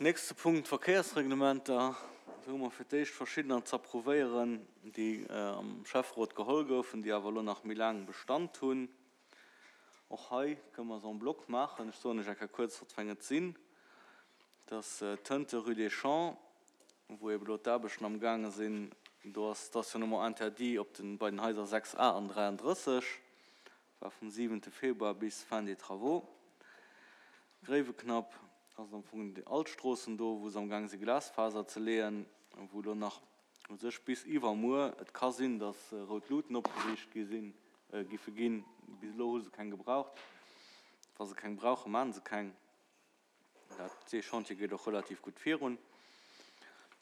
Nächste Punkt, d'Verkéiersreglementer. Do hu mer fir d'éischt verschiddener z'approuvéieren, déi am Schäfferot geholl goufen, déi awer elo nach méi laang Bestand hunn. Och hei kënne mer se en bloc maachen. Ech soen lech eng Kéier kuerz, wat fir eng et sinn. Dat ass d'Tënte rue des Champs, wou eeben elo d'Aarbechten amgaange sinn. Do ass Stationnement interdit op den, bei den Haiser 6 a an 33. War vum siwente Februar bis fin des travaux. Gréiweknapp ass am Fong déi all d'Stroossen do, wou se am gaang si Glasfaser ze leeën, wou elo nach u sech bis iwwermuer et ka sinn, datt rout Luuten opgeriicht gi sinn, giffe ginn. Bis elo hu se keng gebraucht. Wa se keng brauchen, maachen se keng. Dat, dee Chantier geet och relativ gutt virun.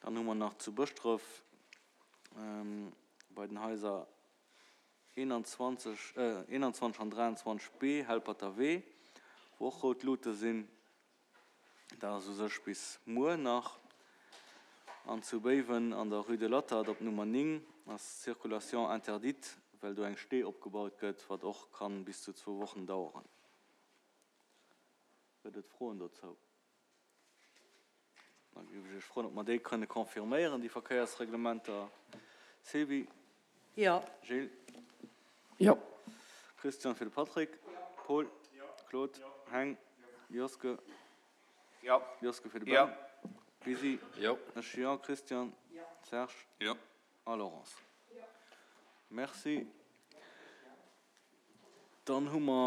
Dann hu mer nach zu Bëschdref bei den Haiser 21 21 an 23 B, Helperter Wee, wou och rout Luute sinn. Dat ass u sech bis muer nach. An zu Béiwen an der Rue de l'Attert op Nummer 9 ass d'Circulation interdite, well do eng Stee opgebaut gëtt, wat och kann bis zu zwou Wochen daueren. Gëtt et Froen dozou? Da géif ech Iech froen, ob mer déi kënne confirméieren, déi Verkéiersreglementer. Sylvie? Jo. Gilles? Jo. Christian fir de Patrick? Paul? Claude? Heng? Joske? Jo. Joske fir de Ben? Lisi? Jo. Ech jo. Christian? Serge? Jo. A Laurence? Merci. Dann hu mer.